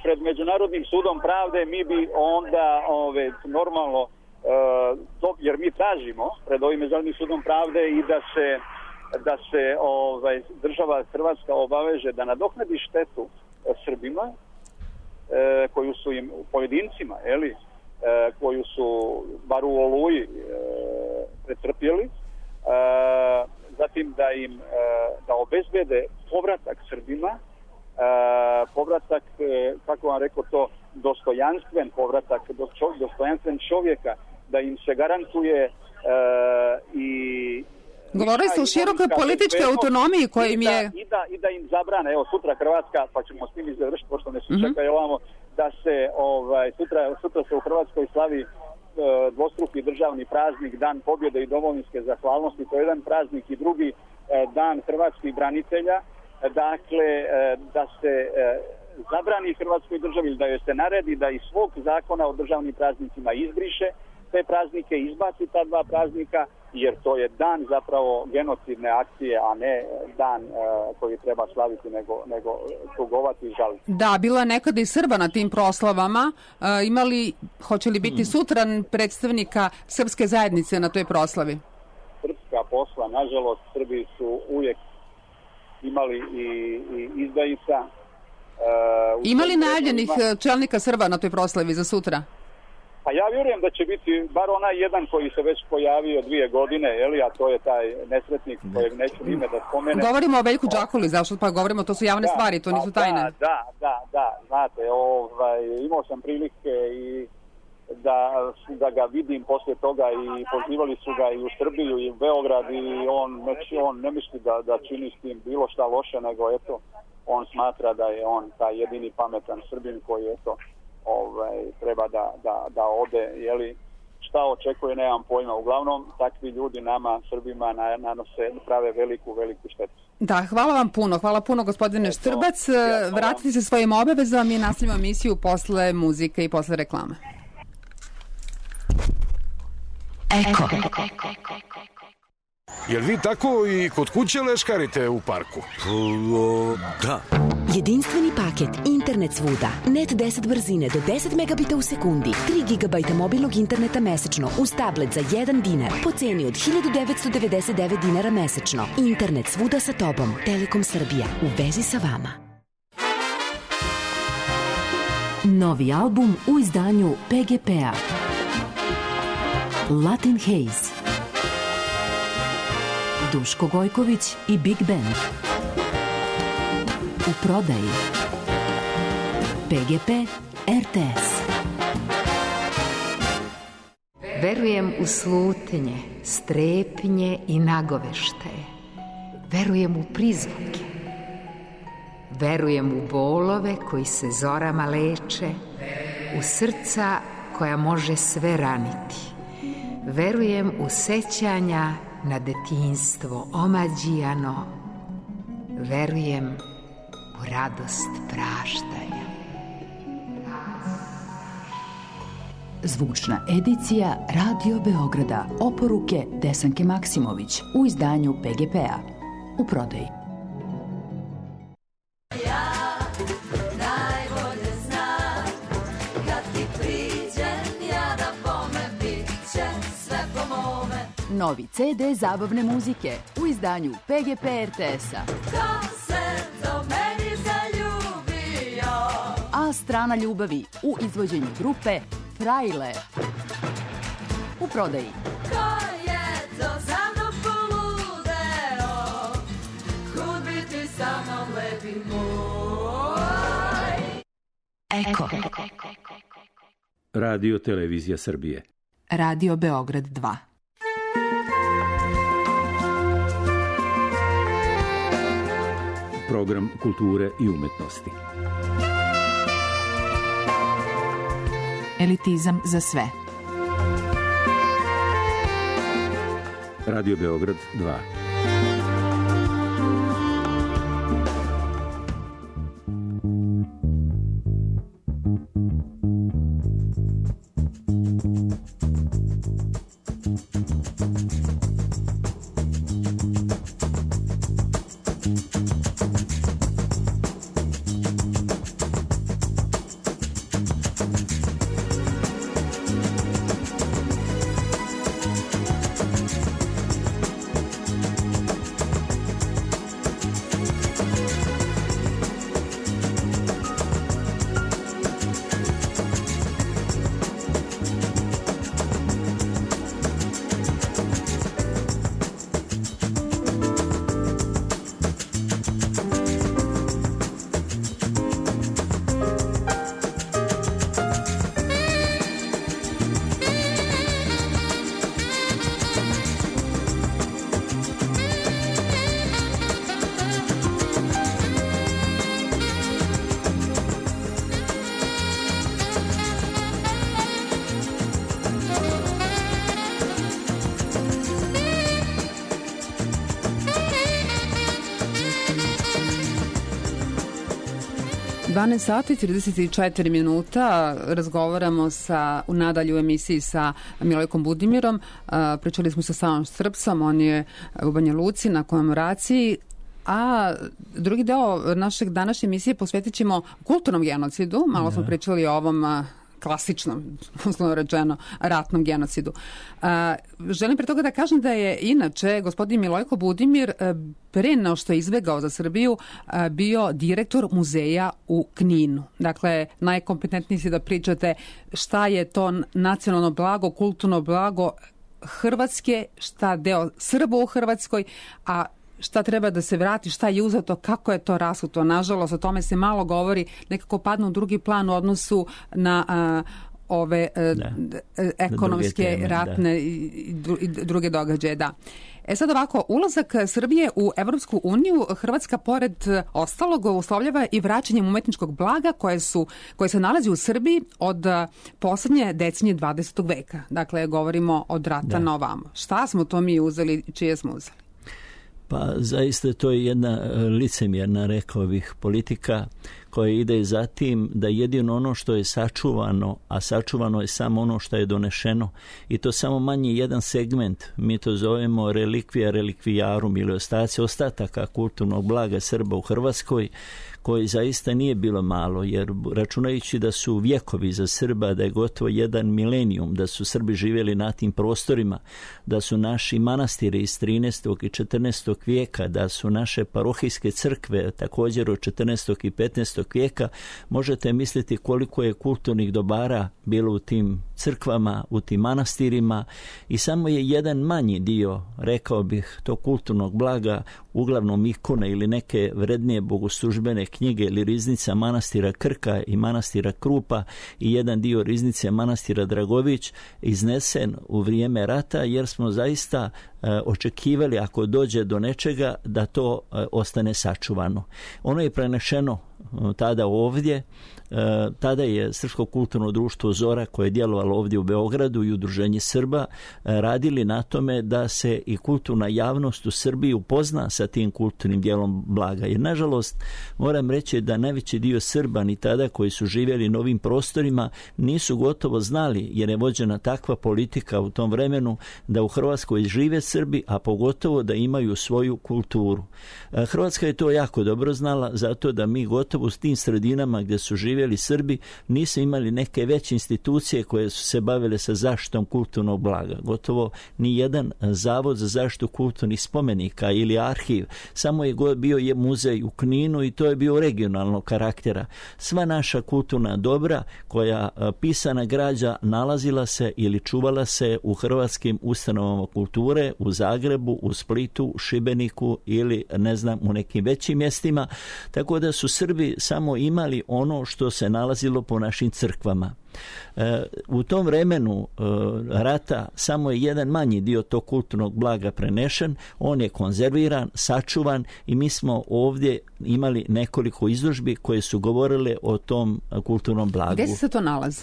pred Međunarodnim sudom pravde, mi bi onda normalno, jer mi tražimo pred ovim Međunarodnim sudom pravde i da se država Hrvatska obaveže da nadoknadi štetu Srbima, koju su im pojedincima, koju su bar u Oluji pretrpjeli, zatim da obezbede povratak Srbima, povratak, kako vam rekao to, dostojanstven povratak, dostojanstven čovjeka, da im se garantuje i... Govorili ste o širokoj političkoj autonomiji kojim je... I da im zabrane, evo sutra Hrvatska, pa ćemo s tim završiti, pošto ne čekaju ovamo, da se sutra se u Hrvatskoj slavi dvostruki državni praznik, Dan pobjede i domovinske zahvalnosti, to je jedan praznik, i drugi Dan hrvatskih branitelja, dakle da se zabrani Hrvatskoj državi, da joj se naredi da iz svog zakona o državnim praznicima izbriše te praznike, izbaci ta dva praznika, jer to je dan zapravo genocidne akcije, a ne dan koji treba slaviti, nego tugovati i žaliti. Da, bila je nekada i Srba na tim proslavama. Hoće li biti sutra predstavnika srpske zajednice na toj proslavi? Srpska posla, nažalost, Srbi su uvijek imali i izdajica. Ima li najavljenih čelnika Srba na toj proslavi za sutra? Pa ja vjerujem da će biti bar onaj jedan koji se već pojavio 2 godine, a to je taj nesretnik kojeg neću ime da spomenem. Govorimo o Veljku Đakuli, zašto pa govorimo, to su javne stvari, to nisu tajne. Da, znate, imao sam prilike i da ga vidim poslije toga i pozivali su ga i u Srbiju i u Beograd i on ne misli da čini s tim bilo šta loše, nego eto, on smatra da je on taj jedini pametan Srbin koji eto, treba da ode, jeli, šta očekuje, nemam pojma. Uglavnom, takvi ljudi nama, Srbima, prave veliku štetu. Da, hvala puno gospodine Štrbac. Vratite se svojim obavezama i nastavljamo emisiju posle muzike i posle reklame. Eko. Jel vi tako i kod kuće leškarite u parku? Da. Jedinstveni paket Internet svuda. Net 10 brzine do 10 megabita u sekundi. 3 GB mobilnog interneta mesečno uz tablet za 1 dinar po ceni od 1999 dinara mesečno. Internet svuda sa tobom. Telekom Srbija. U vezi sa vama. Novi album u izdanju PGP-a. Latin Haze. Duško Gojković i Big Band. U prodaji. PGP RTS. Verujem u slutnje, strepnje i nagoveštaje. Verujem u prizvuke. Verujem u bolove koji se zorama leče, u srca koja može sve raniti. Verujem u sećanja na detinjstvo omađijano. Verujem u radost praštanja. Zvučna edicija Radio Beograda. Oporuke Desanke Maksimović u izdanju PGP-a. U prodaji. Novi CD zabavne muzike u izdanju PGP RTS-a. Ko se do meni zaljubio? A strana ljubavi u izvođenju grupe Frajle. U prodaji. Ko je to za mnom poludeo? Kud bi ti sa mnom lepi moj? Eko. Radio Televizija Srbije. Radio Beograd 2. Program kulture i umetnosti. Elitizam za sve. Radio Beograd 2. Sati 34 minuta, razgovaramo nadalje u emisiji sa Milojkom Budimirom. Pričali smo sa Savom Štrpcom, on je u Banja Luci na komemoraciji, a drugi deo našeg današnje emisije posvetit ćemo kulturnom genocidu. Malo smo pričali o ovom klasičnom, uslovno rečeno, ratnom genocidu. Želim pre toga da kažem da je inače gospodin Milojko Budimir pre nego što je izbegao za Srbiju bio direktor muzeja u Kninu. Dakle, najkompetentniji si da pričate šta je to nacionalno blago, kulturno blago Hrvatske, šta deo Srba u Hrvatskoj, a šta treba da se vrati, šta je uzeto, kako je to rasuto. Nažalost, o tome se malo govori, nekako padne u drugi plan u odnosu na ove ekonomske, ratne i druge događaje, da. Sad ovako, ulazak Srbije u Evropsku uniju, Hrvatska pored ostalog uslovljava i vraćanjem umetničkog blaga koje se nalazi u Srbiji od poslednje decenije 20. veka. Dakle, govorimo od rata na ovamo. Šta smo to mi uzeli, čije smo uzeli? Pa zaista to je jedna licemjerna, rekao bih, politika koja ide za tim da jedino ono što je sačuvano, a sačuvano je samo ono što je donešeno, i to samo manji jedan segment, mi to zovemo relikvija relikvijarum ili ostaci ostataka kulturnog blaga Srba u Hrvatskoj, koji zaista nije bilo malo, jer računajući da su vjekovi za Srba, da je gotovo jedan milenijum, da su Srbi živjeli na tim prostorima, da su naši manastiri iz 13. i 14. vijeka, da su naše parohijske crkve također od 14. i 15. vijeka, možete misliti koliko je kulturnih dobara bilo u tim crkvama, u tim manastirima, i samo je jedan manji dio, rekao bih, tog kulturnog blaga, uglavnom ikone ili neke vrednije bogoslužbene knjige ili riznica manastira Krka i manastira Krupa i jedan dio riznice manastira Dragović iznesen u vrijeme rata, jer smo zaista očekivali, ako dođe do nečega, da to ostane sačuvano. Ono je prenešeno tada ovdje. Tada je Srpsko kulturno društvo Zora, koje je djelovalo ovdje u Beogradu, i Udruženje Srba radili na tome da se i kulturna javnost u Srbiji upozna sa tim kulturnim dijelom blaga. Jer nažalost moram reći da najveći dio Srba ni tada koji su živjeli na ovim prostorima nisu gotovo znali, jer je vođena takva politika u tom vremenu da u Hrvatskoj žive Srbi, a pogotovo da imaju svoju kulturu. Hrvatska je to jako dobro znala, zato da mi gotovo u tim sredinama gdje su živjeli Srbi nisu imali neke veće institucije koje su se bavile sa zaštitom kulturnog blaga. Gotovo ni jedan zavod za zaštitu kulturnih spomenika ili arhiv. Samo je bio muzej u Kninu i to je bio regionalnog karaktera. Sva naša kulturna dobra koja pisana građa nalazila se ili čuvala se u hrvatskim ustanovama kulture, u Zagrebu, u Splitu, u Šibeniku ili ne znam u nekim većim mjestima, tako da su Srbi samo imali ono što se nalazilo po našim crkvama. U tom vremenu rata samo je jedan manji dio tog kulturnog blaga prenešen, on je konzerviran, sačuvan, i mi smo ovdje imali nekoliko izložbi koje su govorile o tom kulturnom blagu. Gdje se to nalazi?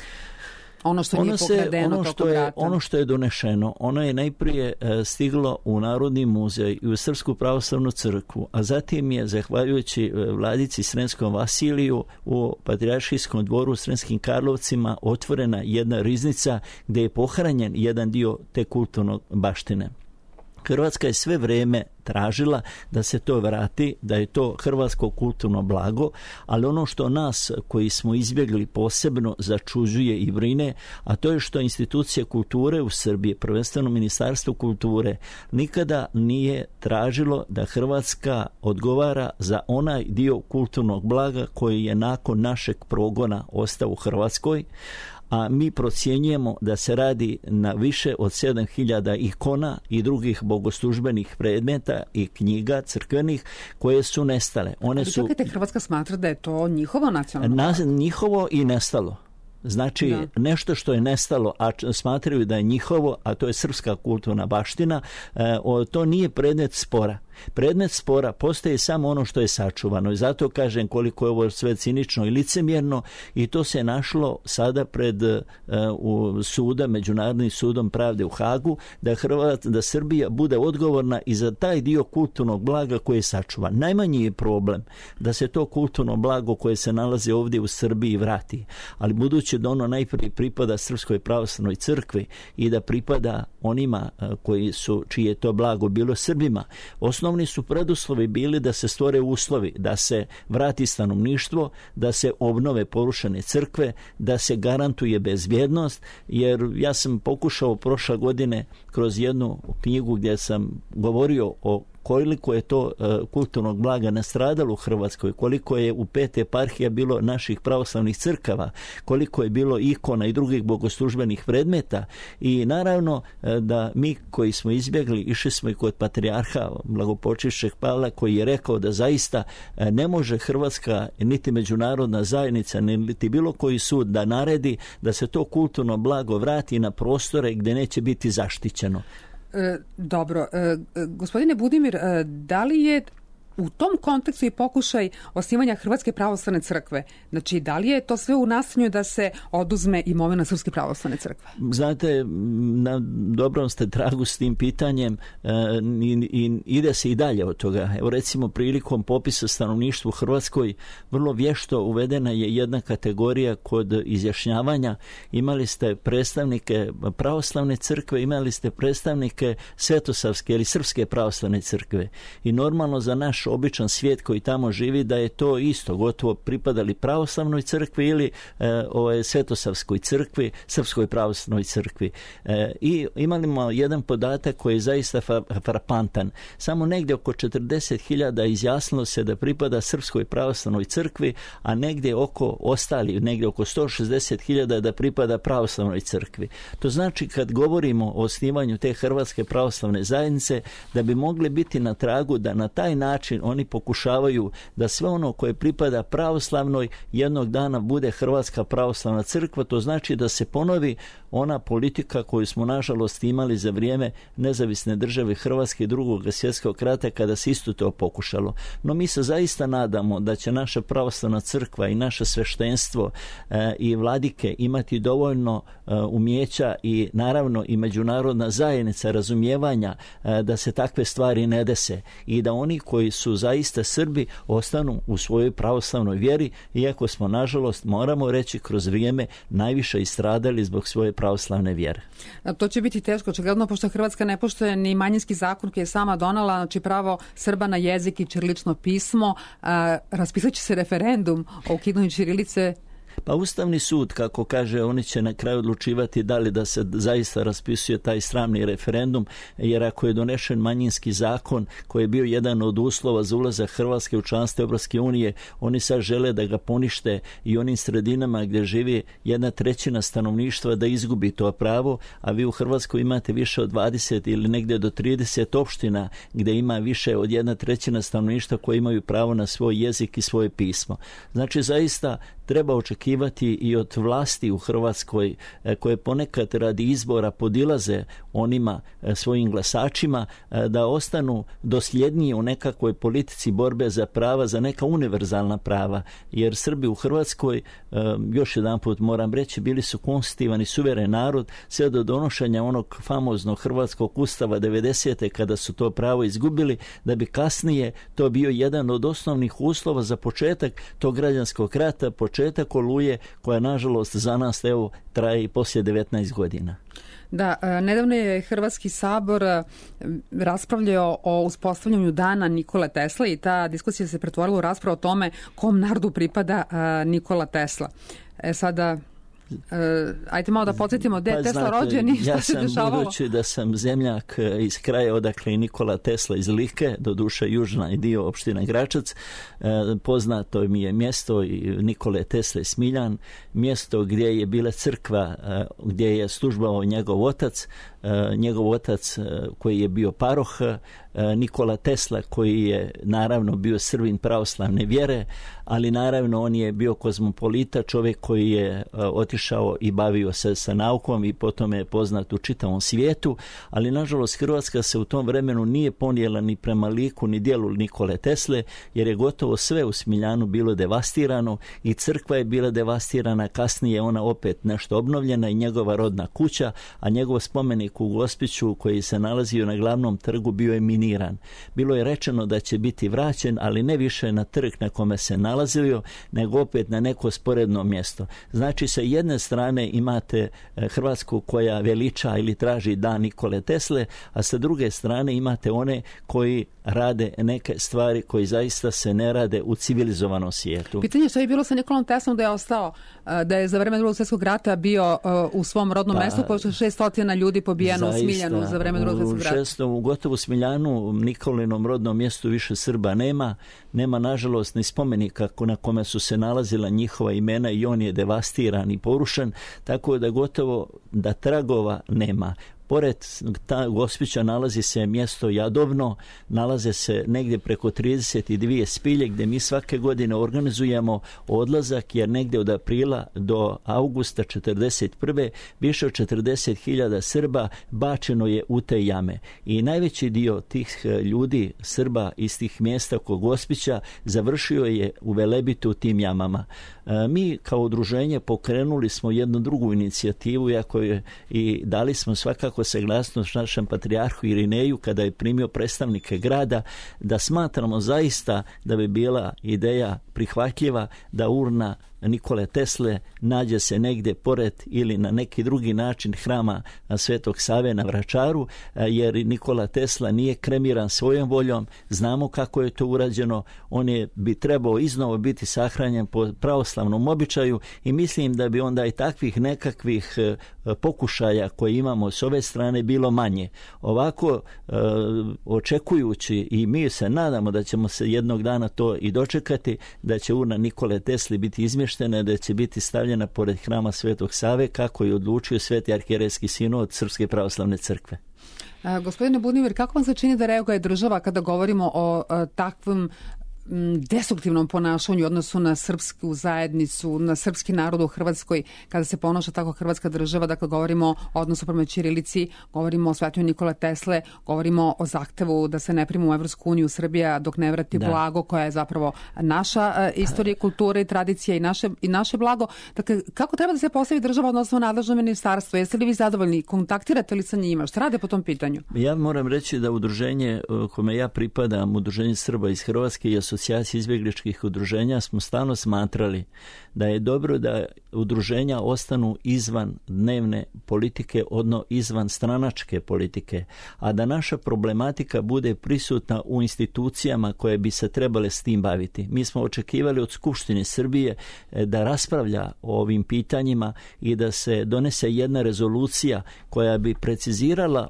Ono što nije pokradeno tokom rata. Ono što je donešeno, ono je najprije stiglo u Narodni muzej i u Srpsku pravoslavnu crkvu, a zatim je, zahvaljujući vladici Sremskom Vasiliju, u Patrijaršijskom dvoru u Sremskim Karlovcima otvorena jedna riznica gdje je pohranjen jedan dio te kulturnog baštine. Hrvatska je sve vrijeme tražila da se to vrati, da je to hrvatsko kulturno blago, ali ono što nas koji smo izbjegli posebno začuđuje i brine, a to je što institucije kulture u Srbiji, prvenstveno Ministarstvo kulture, nikada nije tražilo da Hrvatska odgovara za onaj dio kulturnog blaga koji je nakon našeg progona ostao u Hrvatskoj, a mi procjenjujemo da se radi na više od 7000 ikona i drugih bogoslužbenih predmeta i knjiga crkvenih koje su nestale. Čekajte, Hrvatska smatra da je to njihovo nacionalno blago? Njihovo i nestalo. Znači, nešto što je nestalo, a smatraju da je njihovo, a to je srpska kulturna baština, to nije predmet spora. Predmet spora postaje samo ono što je sačuvano, i zato kažem koliko je ovo sve cinično i licemjerno, i to se našlo sada pred suda, Međunarodnim sudom pravde u Hagu, da Srbija bude odgovorna i za taj dio kulturnog blaga koje je sačuvan. Najmanji je problem da se to kulturno blago koje se nalazi ovdje u Srbiji vrati, ali budući da ono najprije pripada Srpskoj pravoslavnoj crkvi i da pripada onima čije je to blago bilo Srbima, osnovni su preduslovi bili da se stvore uslovi, da se vrati stanovništvo, da se obnove porušene crkve, da se garantuje bezbjednost, jer ja sam pokušao prošle godine kroz jednu knjigu gdje sam govorio o koliko je to kulturnog blaga nastradalo u Hrvatskoj, koliko je u 5 eparhija bilo naših pravoslavnih crkava, koliko je bilo ikona i drugih bogoslužbenih predmeta i naravno da mi koji smo izbjegli, išli smo i kod patrijarha blagopočivšeg Pavla koji je rekao da zaista ne može Hrvatska niti međunarodna zajednica niti bilo koji sud da naredi da se to kulturno blago vrati na prostore gdje neće biti zaštićeno. Dobro. Gospodine Budimir, da li je u tom kontekstu i pokušaj osnivanja Hrvatske pravoslavne crkve? Znači, da li je to sve u nastojanju da se oduzme imovina Srpske pravoslavne crkve? Znate, na dobrom ste tragu s tim pitanjem i ide se i dalje od toga. Evo recimo prilikom popisa stanovništva u Hrvatskoj vrlo vješto uvedena je jedna kategorija kod izjašnjavanja. Imali ste predstavnike pravoslavne crkve, imali ste predstavnike Svetosavske ili Srpske pravoslavne crkve. I normalno za naš običan svijet koji tamo živi da je to isto, gotovo pripadali pravoslavnoj crkvi ili Svetosavskoj crkvi, Srpskoj pravoslavnoj crkvi. I imamo jedan podatak koji je zaista frapantan. Samo negdje oko 40.000 izjasnilo se da pripada Srpskoj pravoslavnoj crkvi, a negdje oko 160.000 da pripada pravoslavnoj crkvi. To znači kad govorimo o osnivanju te Hrvatske pravoslavne zajednice, da bi mogli biti na tragu da na taj način oni pokušavaju da sve ono koje pripada pravoslavnoj jednog dana bude Hrvatska pravoslavna crkva. To znači da se ponovi ona politika koju smo nažalost imali za vrijeme nezavisne države Hrvatske i Drugog svjetskog rata kada se isto to pokušalo. No mi se zaista nadamo da će naša pravoslavna crkva i naše sveštenstvo i vladike imati dovoljno umijeća i naravno i međunarodna zajednica razumijevanja da se takve stvari ne dese i da oni koji su zaista Srbi ostanu u svojoj pravoslavnoj vjeri, iako smo nažalost, moramo reći, kroz vrijeme najviše istradali zbog svoje pravoslavne vjere. To će biti teško, očigledno, pošto Hrvatska ne poštuje ni manjinski zakon koji je sama donala, znači pravo Srba na jezik i ćirilično pismo. Raspisat će se referendum o ukidanju ćirilice. Pa Ustavni sud, kako kaže, oni će na kraju odlučivati da li da se zaista raspisuje taj sramni referendum, jer ako je donešen manjinski zakon koji je bio jedan od uslova za ulazak Hrvatske u članstvo Europske unije, oni sad žele da ga ponište i onim sredinama gdje živi 1/3 stanovništva da izgubi to pravo, a vi u Hrvatskoj imate više od 20 ili negdje do 30 opština gdje ima više od 1/3 stanovništva koji imaju pravo na svoj jezik i svoje pismo. Znači zaista treba očekivati i od vlasti u Hrvatskoj koje ponekad radi izbora podilaze onima svojim glasačima da ostanu dosljedniji u nekakvoj politici borbe za prava, za neka univerzalna prava, jer Srbi u Hrvatskoj, još jedan put moram reći, bili su konstitutivan i suveren narod sve do donošenja onog famoznog Hrvatskog ustava 90. kada su to pravo izgubili, da bi kasnije to bio jedan od osnovnih uslova za početak tog građanskog rata, početak Oluje, koja nažalost za nas evo traje i poslije 19 godina. Da, nedavno je Hrvatski sabor raspravljao o uspostavljanju dana Nikole Tesle i ta diskusija se pretvorila u raspravu o tome kom narodu pripada Nikola Tesla. Sada ajde malo da podsjetimo gdje je Tesla rođen i šta se dešavalo. Budući da sam zemljak iz kraja odakle i Nikola Tesla iz Like, doduše južna dio opština Gračac, poznato mi je mjesto Nikole Tesle Smiljan, mjesto gdje je bila crkva, gdje je službovao njegov otac koji je bio paroh, Nikola Tesla koji je naravno bio Srbin pravoslavne vjere, ali naravno on je bio kozmopolita, čovjek koji je otišao i bavio se sa naukom i potom je poznat u čitavom svijetu, ali nažalost Hrvatska se u tom vremenu nije ponijela ni prema liku ni djelu Nikole Tesle, jer je gotovo sve u Smiljanu bilo devastirano i crkva je bila devastirana, kasnije ona opet nešto obnovljena i njegova rodna kuća, a njegov spomenik u Gospiću koji se nalazio na glavnom trgu bio je miniran. Bilo je rečeno da će biti vraćen, ali ne više na trg na kome se nalazio, nego opet na neko sporedno mjesto. Znači sa jedne strane imate Hrvatsku koja veliča ili traži dan Nikole Tesle, a sa druge strane imate one koji rade neke stvari koje zaista se ne rade u civilizovanom svijetu. Pitanje što je bilo sa Nikolom Teslom da je ostao, da je za vreme Drugog svjetskog rata bio u svom rodnom mestu, pošto je 600 ljudi pobijeno u Smiljanu za vreme Drugog svjetskog rata. U gotovo Smiljanu, Nikolinom rodnom mjestu, više Srba nema nažalost ni spomenika na kome su se nalazila njihova imena i on je devastiran i porušen, tako da gotovo da tragova nema. Pored Gospića nalazi se mjesto Jadovno, nalaze se negdje preko 32 spilje gdje mi svake godine organizujemo odlazak, jer negdje od aprila do augusta 1941. više od 40.000 Srba bačeno je u te jame. I najveći dio tih ljudi, Srba iz tih mjesta oko Gospića, završio je u Velebitu u tim jamama. Mi kao udruženje pokrenuli smo jednu drugu inicijativu, iako je i dali smo svakako saglasnost našem patrijarhu Irineju kada je primio predstavnike grada, da smatramo zaista da bi bila ideja prihvatljiva da urna Nikole Tesle nađe se negdje pored ili na neki drugi način hrama Svetog Save na Vračaru, jer Nikola Tesla nije kremiran svojom voljom. Znamo kako je to urađeno. On bi trebao iznova biti sahranjen po pravoslavnom običaju i mislim da bi onda i takvih nekakvih pokušaja koje imamo s ove strane bilo manje. Ovako, očekujući, i mi se nadamo da ćemo se jednog dana to i dočekati, da će urna Nikole Tesli biti izmještena, da će biti stavljena pored hrama Svetog Save, kako je odlučio Sveti arhijerejski sinod Srpske pravoslavne crkve. Gospodine Budimir, kako vam se čini da reaguje država kada govorimo o takvom destruktivnom ponašanju u odnosu na srpsku zajednicu, na srpski narod u Hrvatskoj, kada se ponaša tako Hrvatska država? Dakle, govorimo o odnosu prema ćirilici, govorimo o svetu Nikole Tesle, govorimo o zahtevu da se ne prima u Evropsku uniju Srbija dok ne vrati blago, koja je zapravo naša istorija, kultura i tradicija i naše blago. Dakle, kako treba da se postavi država odnosno nadležno ministarstvo? Jeste li vi zadovoljni? Kontaktirate li sa njima? Šta rade po tom pitanju? Ja moram reći da udruženje kome ja pripadam, Udruženje Srba iz Hrvatske i Asocijacija izbjegličkih udruženja, smo stalno smatrali da je dobro da udruženja ostanu izvan dnevne politike, odnosno izvan stranačke politike, a da naša problematika bude prisutna u institucijama koje bi se trebale s tim baviti. Mi smo očekivali od Skupštine Srbije da raspravlja o ovim pitanjima i da se donese jedna rezolucija koja bi precizirala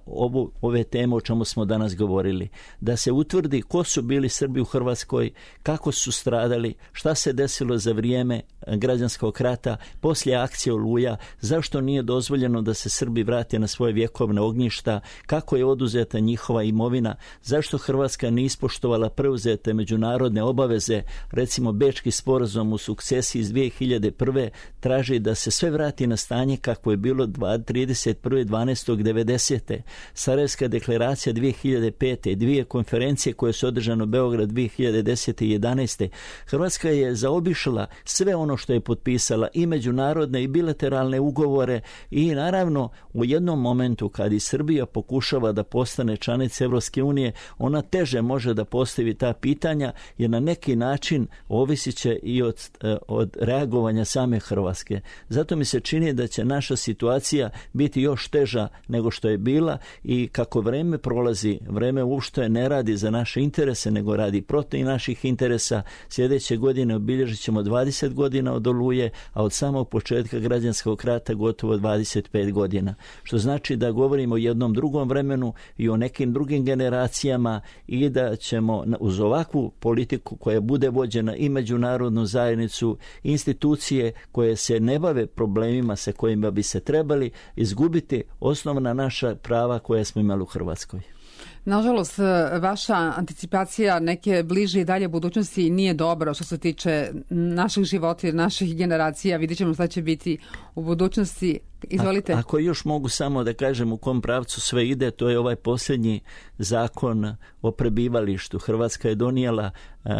ove teme o čemu smo danas govorili. Da se utvrdi ko su bili Srbi u Hrvatskoj, kako su stradali, šta se desilo za vrijeme građanskog rata, poslije akcije Oluja, zašto nije dozvoljeno da se Srbi vrate na svoje vjekovne ognjišta, kako je oduzeta njihova imovina, zašto Hrvatska nije ispoštovala preuzete međunarodne obaveze, recimo Bečki sporazum u sukcesiji iz 2001. traži da se sve vrati na stanje kako je bilo 31.12.90. Sarajevska deklaracija 2005. Dvije konferencije koje su održane u Beograd 2010. i 2011. Hrvatska je zaobišla sve ono što je potpisala, i međunarodne i bilateralne ugovore, i naravno u jednom momentu kad i Srbija pokušava da postane članica Evropske unije, ona teže može da postavi ta pitanja, jer na neki način ovisit će i od reagovanja same Hrvatske. Zato mi se čini da će naša situacija biti još teža nego što je bila, i kako vreme prolazi, vreme uopšte ne radi za naše interese, nego radi protiv naših interesa. Sljedeće godine obilježit ćemo 20 godina od Oluje, a od samog početka građanskog rata gotovo 25 godina. Što znači da govorimo o jednom drugom vremenu i o nekim drugim generacijama, i da ćemo uz ovakvu politiku koja bude vođena i međunarodnu zajednicu, institucije koje se ne bave problemima sa kojima bi se trebali, izgubiti osnovna naša prava koja smo imali u Hrvatskoj. Nažalost, vaša anticipacija neke bliže i dalje budućnosti nije dobra što se tiče naših života i naših generacija. Vidjet ćemo šta će biti u budućnosti. Izvolite. Ako još mogu samo da kažem u kom pravcu sve ide, to je ovaj posljednji zakon o prebivalištu. Hrvatska je donijela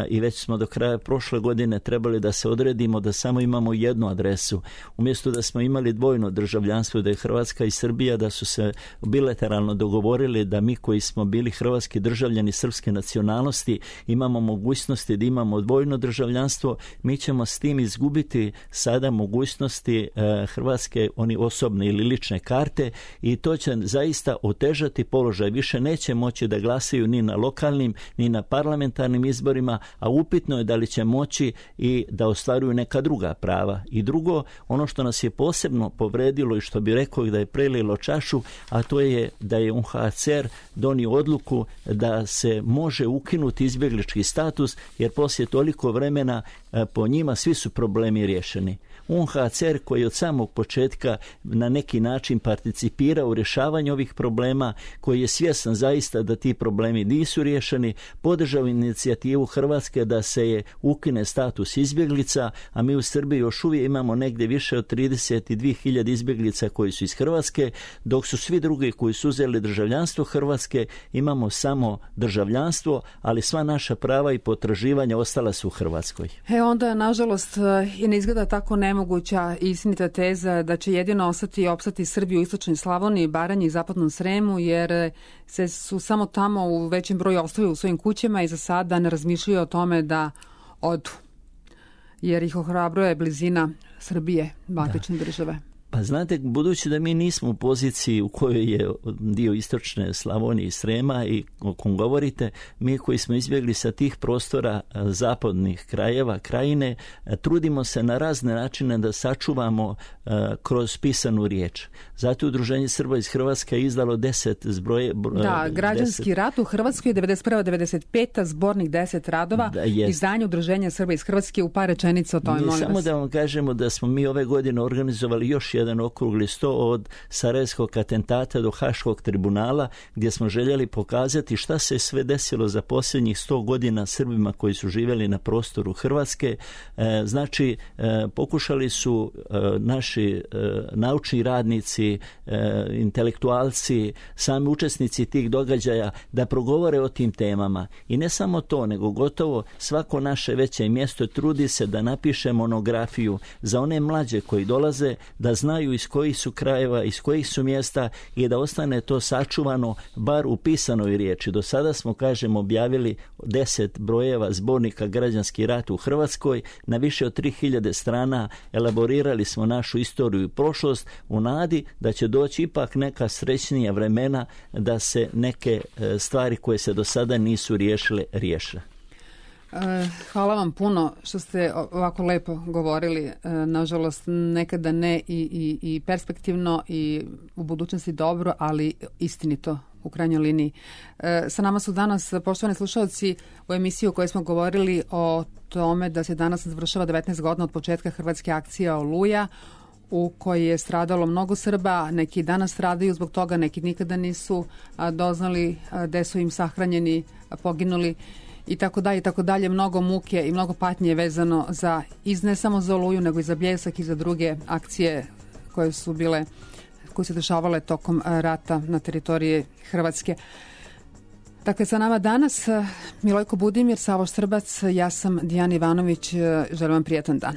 i već smo do kraja prošle godine trebali da se odredimo da samo imamo jednu adresu. Umjesto da smo imali dvojno državljanstvo, da je Hrvatska i Srbija, da su se bilateralno dogovorili da mi koji smo bili hrvatski državljani srpske nacionalnosti imamo mogućnosti da imamo dvojno državljanstvo, mi ćemo s tim izgubiti sada mogućnosti Hrvatske, oni osobne ili lične karte i to će zaista otežati položaj. Više neće moći da glasaju ni na lokalnim, ni na parlamentarnim izborima, a upitno je da li će moći i da ostvaruju neka druga prava. I drugo, ono što nas je posebno povredilo i što bi rekao da je prelilo čašu, a to je da je UNHCR donio odluku da se može ukinuti izbjeglički status, jer poslije toliko vremena po njima svi su problemi riješeni. UNHCR koji je od samog početka na neki način participirao u rješavanju ovih problema, koji je svjestan zaista da ti problemi nisu riješeni, podržao inicijativu Hrvatske da se je ukine status izbjeglica, a mi u Srbiji još uvijek imamo negdje više od 32.000 izbjeglica koji su iz Hrvatske, dok su svi drugi koji su uzeli državljanstvo Hrvatske, imamo samo državljanstvo, ali sva naša prava i potraživanja ostala su u Hrvatskoj. Onda, nažalost, i ne izgleda tako nemoguća i istinita teza da će jedino ostati i opstati Srbi u istočnoj Slavoniji, Baranji i zapadnom Sremu, jer se su samo tamo u većem broju ostali u svojim kućama i za sada ne razmišljaju o tome da odu, jer ih ohrabruje blizina Srbije, matične države. Pa znate, budući da mi nismo u poziciji u kojoj je dio istočne Slavonije i Srema i o kom govorite, mi koji smo izbjegli sa tih prostora zapadnih krajeva, krajine, trudimo se na razne načine da sačuvamo kroz pisanu riječ. Zato je Udruženje Srba iz Hrvatske izdalo 10 zbroje... Da, građanski rat u Hrvatskoj je 91-95, zbornik 10 radova, izdanje Udruženja Srba iz Hrvatske. U par rečenica o tome, molim vas. Samo da vam kažemo da smo mi ove godine organizovali još jedan okrugli sto od Sarajevskog atentata do Haškog tribunala, gdje smo željeli pokazati šta se sve desilo za posljednjih 100 godina Srbima koji su živjeli na prostoru Hrvatske. Znači, pokušali su naši naučni radnici, intelektualci, sami učesnici tih događaja da progovore o tim temama. I ne samo to, nego gotovo svako naše veće mjesto trudi se da napiše monografiju za one mlađe koji dolaze, da znaju iz kojih su krajeva, iz kojih su mjesta i da ostane to sačuvano bar u pisanoj riječi. Do sada smo, kažem, objavili 10 brojeva zbornika Građanski rat u Hrvatskoj, na više od 3000 strana elaborirali smo našu istoriju i prošlost u nadi da će doći ipak neka srećnija vremena da se neke stvari koje se do sada nisu riješile, riješe. Hvala vam puno što ste ovako lepo govorili. Nažalost, nekada ne i perspektivno i u budućnosti dobro, ali istinito u krajnjoj liniji. Sa nama su danas, poštovani slušalci, u emisiji u kojoj smo govorili o tome da se danas završava 19 godina od početka hrvatske akcije Oluja, u kojoj je stradalo mnogo Srba. Neki danas stradaju zbog toga, neki nikada nisu doznali gde su im sahranjeni, poginuli i tako dalje, mnogo muke i mnogo patnje vezano za, ne samo za Oluju, nego i za Bljesak i za druge akcije koje su se dešavale tokom rata na teritoriji Hrvatske. Dakle, sa nama danas Milojko Budimir, Savo Štrbac, ja sam Dijana Ivanović, želim vam prijatan dan.